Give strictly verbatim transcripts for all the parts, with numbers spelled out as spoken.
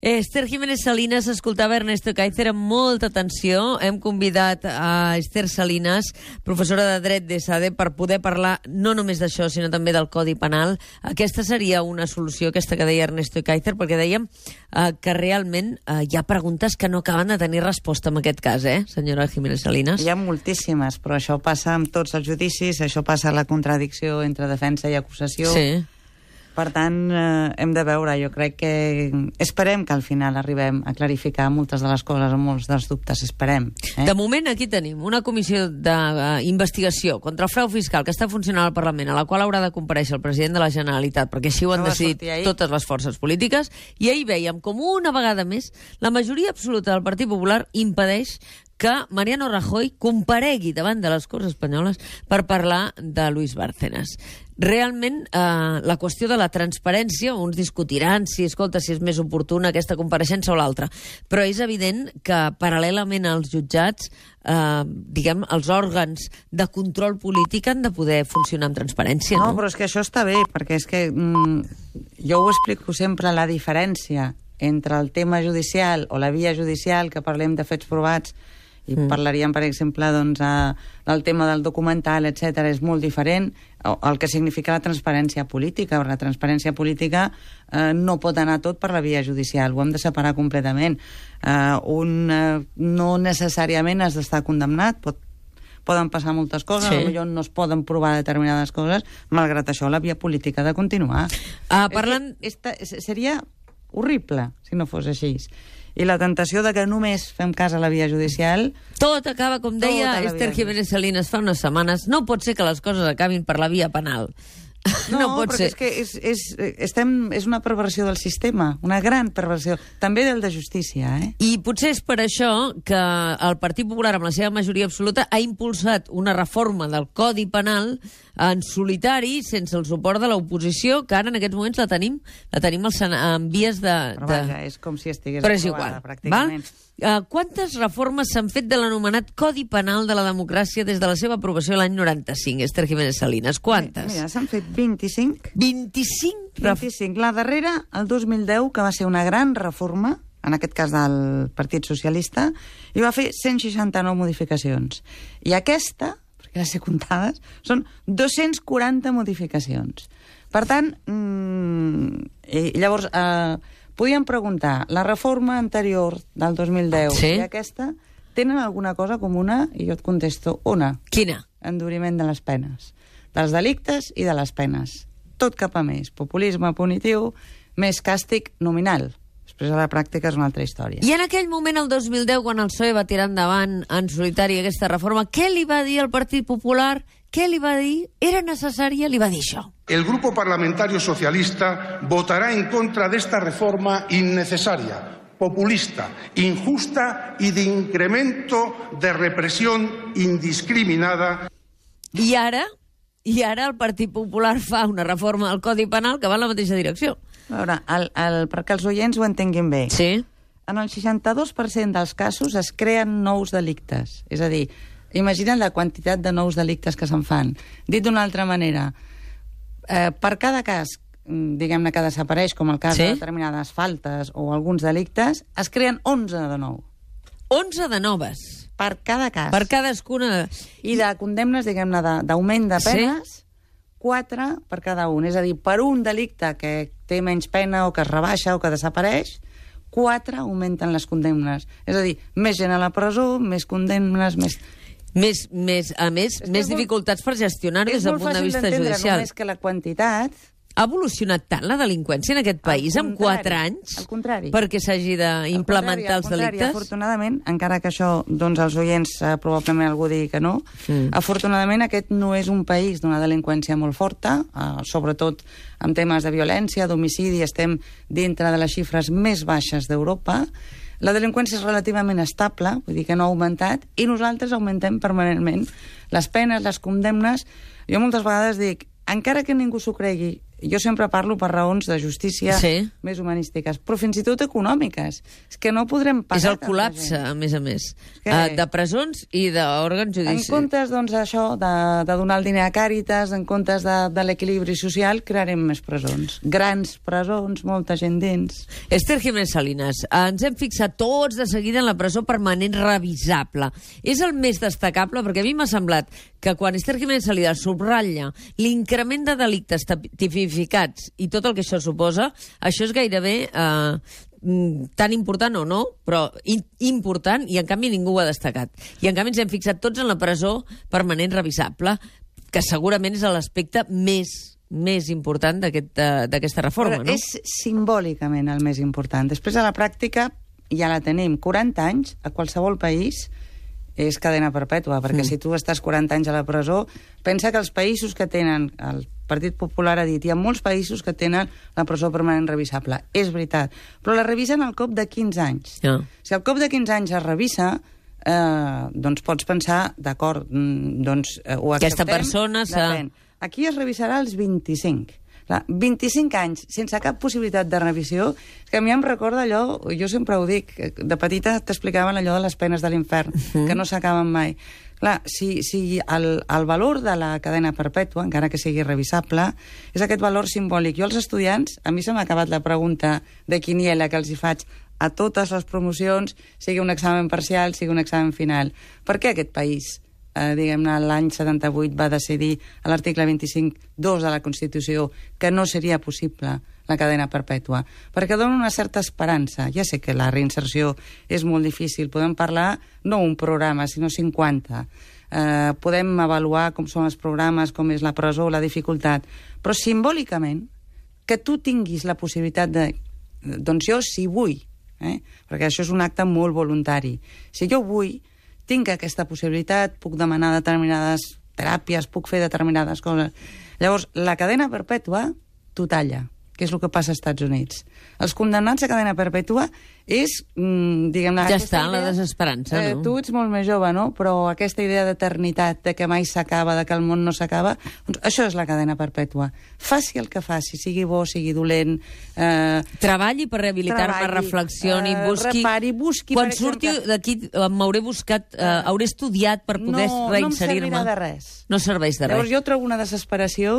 Esther Jiménez Salinas escoltava Ernesto Kaiser amb molta atenció. Hem convidat a Esther Salinas, professora de Dret de SADE, per poder parlar no només d'això, sinó també del Codi Penal. Aquesta seria una solució, aquesta que deia Ernesto Kaiser, perquè dèiem eh, que realment eh, hi ha preguntes que no acaben de tenir resposta en aquest cas, eh, senyora Jiménez Salinas? Hi ha moltíssimes, però això passa amb tots els judicis, això passa a la contradicció entre defensa i acusació. Sí. Per tant, eh, hem de veure, jo crec que... Esperem que al final arribem a clarificar moltes de les coses, molts dels dubtes, esperem. Eh? De moment aquí tenim una comissió d'investigació contra el frau fiscal que està funcionant al Parlament, a la qual haurà de comparèixer el president de la Generalitat, perquè així ho han No va decidit sortir ahir. totes les forces polítiques, i ahir vèiem com una vegada més la majoria absoluta del Partit Popular impedeix que Mariano Rajoy comparegui davant de les Corts Espanyoles per parlar de Luis Bárcenas. Realment, eh, la qüestió de la transparència, uns discutiran si, escolta, si és més oportuna aquesta compareixença o l'altra, però és evident que paral·lelament als jutjats, eh, diguem, els òrgans de control polític han de poder funcionar amb transparència, no? No, però és que això està bé, perquè és que mm, jo ho explico sempre, la diferència entre el tema judicial o la via judicial, que parlem de fets provats, i mm. parlaríem, per exemple, doncs, a, del tema del documental, etcètera, és molt diferent el que significa la transparència política. La transparència política eh, no pot anar tot per la via judicial, ho hem de separar completament. Eh, un eh, no necessàriament has d'estar condemnat, pot, poden passar moltes coses, sí. Potser no es poden provar determinades coses, malgrat això la via política ha de continuar. Ah, parlant... Esta, seria horrible si no fos així. I la tentació de que només fem cas a la via judicial... Tot acaba, com deia Esther Jiménez Salinas fa unes setmanes, no pot ser que les coses acabin per la via penal. No, no pot perquè ser. és que és, és, estem, és una perversió del sistema, una gran perversió, també del de justícia, eh? I potser és per això que el Partit Popular, amb la seva majoria absoluta, ha impulsat una reforma del Codi Penal en solitari, sense el suport de l'oposició, que ara en aquests moments la tenim, la tenim en vies de... Però vaja, és com si estigués Però és aprovada, igual, pràcticament. Val? Uh, quantes reformes s'han fet de l'anomenat Codi Penal de la democràcia des de la seva aprovació l'any noranta-cinc, Esther Jiménez Salinas? Quantes? Mira, s'han fet vint-i-cinc. vint-i-cinc? vint-i-cinc. La darrera, el dos mil deu, que va ser una gran reforma, en aquest cas del Partit Socialista, i va fer cent seixanta-nou modificacions. I aquesta, perquè les he comptades, són dos-cents quaranta modificacions. Per tant, mmm, i llavors... Eh, podíem preguntar, la reforma anterior del dos mil deu sí? i aquesta tenen alguna cosa comuna? I jo et contesto, una. Quina? Enduriment de les penes. Dels delictes i de les penes. Tot cap a més. Populisme punitiu, més càstig nominal. Després a la pràctica és una altra història. I en aquell moment, el dos mil deu, quan el P S O E va tirar endavant en solitari aquesta reforma, què li va dir al Partit Popular? Què li va dir? Era necessària? Li va dir això. El Grupo Parlamentario Socialista votará en contra de esta reforma innecesaria, populista, injusta y de incremento de represión indiscriminada. I ara? I ara el Partit Popular fa una reforma del Codi Penal que va en la mateixa direcció. A veure, el, el, perquè els oients ho entenguin bé. Sí. En el seixanta-dos per cent dels casos es creen nous delictes. És a dir, imagina't la quantitat de nous delictes que se'n fan. Dit d'una altra manera, eh, per cada cas, diguem-ne, que desapareix, com el cas sí? de determinades faltes o alguns delictes, es creen onze de nou. onze de noves? Per cada cas. Per cadascuna. I de condemnes, diguem-ne, d'augment de penes, sí? quatre per cada un. És a dir, per un delicte que té menys pena o que es rebaixa o que desapareix, quatre augmenten les condemnes. És a dir, més gent a la presó, més condemnes, més... Més, més, a més, més molt, dificultats per gestionar-ho des del punt de vista judicial. És molt fàcil d'entendre, només que la quantitat... Ha evolucionat tant la delinqüència en aquest país en quatre anys? Al contrari. Perquè s'hagi d'implementar els delictes? Afortunadament, encara que això, doncs, els oients eh, probablement algú digui que no, mm. afortunadament aquest no és un país d'una delinqüència molt forta, eh, sobretot en temes de violència, d'homicidi, estem dintre de les xifres més baixes d'Europa. La delinqüència és relativament estable, vull dir que no ha augmentat, i nosaltres augmentem permanentment les penes, les condemnes. Jo moltes vegades dic, encara que ningú s'ho cregui, jo sempre parlo per raons de justícia sí. més humanístiques, però fins i tot econòmiques. És que no podrem pagar... És el col·lapse, a més a més, que... uh, de presons i d'òrgans judicials. En comptes, doncs, això, de, de donar el diner a Càritas, en comptes de, de l'equilibri social, crearem més presons. Grans presons, molta gent dins. Esther Jiménez Salinas, ens hem fixat tots de seguida en la presó permanent revisable. És el més destacable, perquè a mi m'ha semblat que quan Esther Jiménez Salinas subratlla l'increment de delictes tipificats i tot el que això suposa, això és gairebé eh, tan important o no, però in important, i en canvi ningú ho ha destacat. I en canvi ens hem fixat tots en la presó permanent revisable, que segurament és l'aspecte més més important d'aquesta aquest, reforma, però no? És simbòlicament el més important. Després, a la pràctica, ja la tenim. quaranta anys, a qualsevol país, és cadena perpètua, perquè mm. si tu estàs quaranta anys a la presó, pensa que els països que tenen, el Partit Popular ha dit, hi ha molts països que tenen la presó permanent revisable. És veritat. Però la revisen al cop de quinze anys. Ja. Si al cop de quinze anys es revisa, eh, doncs pots pensar, d'acord, doncs eh, ho acceptem. Aquesta persona s'ha... Aquí es revisarà als vint-i-cinc. Clar, vint-i-cinc anys sense cap possibilitat de revisió, és que a mi em recorda allò, jo sempre ho dic, de petita t'explicaven allò de les penes de l'infern, uh-huh. que no s'acaben mai. Clar, si, si el, el valor de la cadena perpètua, encara que sigui revisable, és aquest valor simbòlic. Jo als estudiants, a mi se m'ha acabat la pregunta de quiniela que els hi faig a totes les promocions, sigui un examen parcial, sigui un examen final. Per què aquest país? Eh, diguem-ne, l'any setanta-vuit va decidir a l'article vint-i-cinc dos de la Constitució que no seria possible la cadena perpètua, perquè dona una certa esperança. Ja sé que la reinserció és molt difícil, podem parlar no un programa, sinó cinquanta. Eh, podem avaluar com són els programes, com és la presó, la dificultat, però simbòlicament que tu tinguis la possibilitat de... Doncs jo, si vull, eh, perquè això és un acte molt voluntari, si jo vull, tinc aquesta possibilitat, puc demanar determinades teràpies, puc fer determinades coses. Llavors, la cadena perpètua t'ho talla, que és el que passa als Estats Units. Els condemnats a cadena perpètua és, mm, diguem-ne... Ja està, idea, la desesperança, eh, no? Tu ets molt més jove, no? Però aquesta idea d'eternitat, de que mai s'acaba, de que el món no s'acaba, doncs això és la cadena perpètua. Faci el que faci, sigui bo, sigui dolent... Eh, treballi per rehabilitar-me, reflexioni, eh, busqui... repari, busqui... Quan surti d'aquí m'hauré buscat, eh, hauré estudiat per poder no, reinserir-me. No em servirà de res. No serveix de res. Llavors jo trobo una desesperació,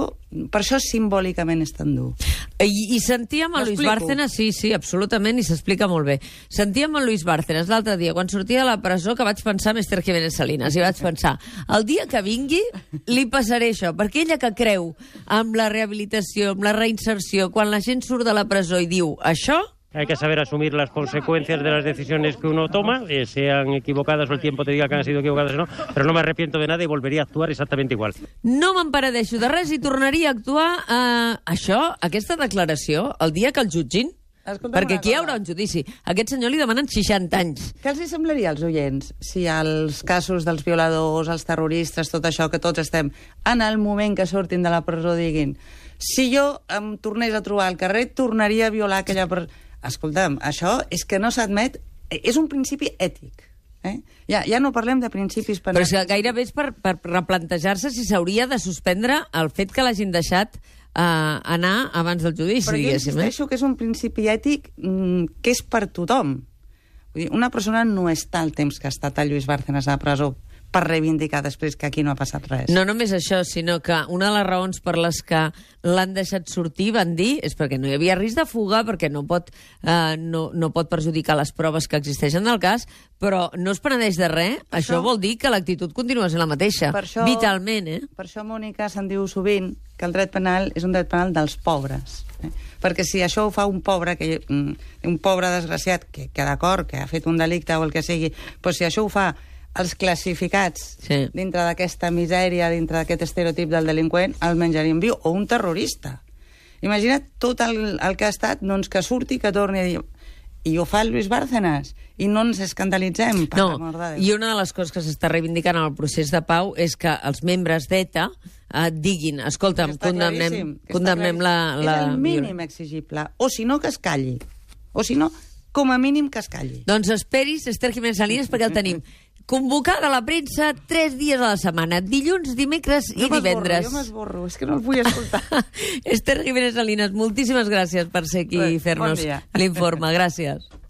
per això simbòlicament és tan dur. I, i sentíem a Luis Bárcenas, sí, sí, absolutament, i s'explica molt bé. Sentíem a Luis Bárcenas l'altre dia, quan sortia de la presó, que vaig pensar en Esther Jiménez Salinas, i vaig pensar, el dia que vingui li passaré això, perquè ella que creu amb la rehabilitació, amb la reinserció, quan la gent surt de la presó i diu això... Hay que saber asumir las consecuencias de las decisiones que uno toma, eh, sean equivocadas o el tiempo te diga que han sido equivocadas o no, pero no me arrepiento de nada y volvería a actuar exactamente igual. No m'emperadeixo de res i tornaria a actuar eh, això, aquesta declaració, el dia que el jutgin. Escolta'm, perquè aquí hi haurà un judici. A aquest senyor li demanen seixanta anys. Què els semblaria als oients si els casos dels violadors, els terroristes, tot això que tots estem, en el moment que surtin de la presó diguin si jo em tornés a trobar al carrer tornaria a violar aquella persona... Escolta'm, això és que no s'admet... És un principi ètic. Eh? Ja, ja no parlem de principis penals. Però és que gairebé és per, per replantejar-se si s'hauria de suspendre el fet que l'hagin deixat eh, anar abans del judici, però jo diguéssim. insisteixo que és un principi ètic mm, que és per tothom. Vull dir, una persona no està el temps que ha estat a Luis Bárcenas a la presó per reivindicar després que aquí no ha passat res. No només això, sinó que una de les raons per les que l'han deixat sortir, van dir, és perquè no hi havia risc de fuga, perquè no pot, eh, no, no pot perjudicar les proves que existeixen del cas, però no es penedeix de res. Per això, això vol dir que l'actitud continua sent la mateixa, això, vitalment, eh? Per això, Mònica, se'n diu sovint que el dret penal és un dret penal dels pobres. Eh? Perquè si això ho fa un pobre, que, un pobre desgraciat, que, que d'acord, que ha fet un delicte o el que sigui, però si això ho fa els classificats sí. dintre d'aquesta misèria, dintre d'aquest estereotip del delinqüent, el menjarien viu, o un terrorista. Imagina't tot el, el que ha estat, doncs que surti, que torni a dir... I ho fa el Luis Bárcenas, i no ens escandalitzem. Per no, i una de les coses que s'està reivindicant en el procés de pau és que els membres d'ETA eh, diguin, escolta'm, condemnem, condemnem la, la... És el mínim exigible, o si no que es calli, o si no, com a mínim que es calli. Doncs esperis, Esther Jiménez Salinas, perquè el tenim convocada la premsa tres dies a la setmana, dilluns, dimecres i divendres. Jo m'esborro, és que no el vull escoltar. Esther Jiménez Salinas, moltíssimes gràcies per ser aquí i fer-nos bon dia. l'informe. Gràcies.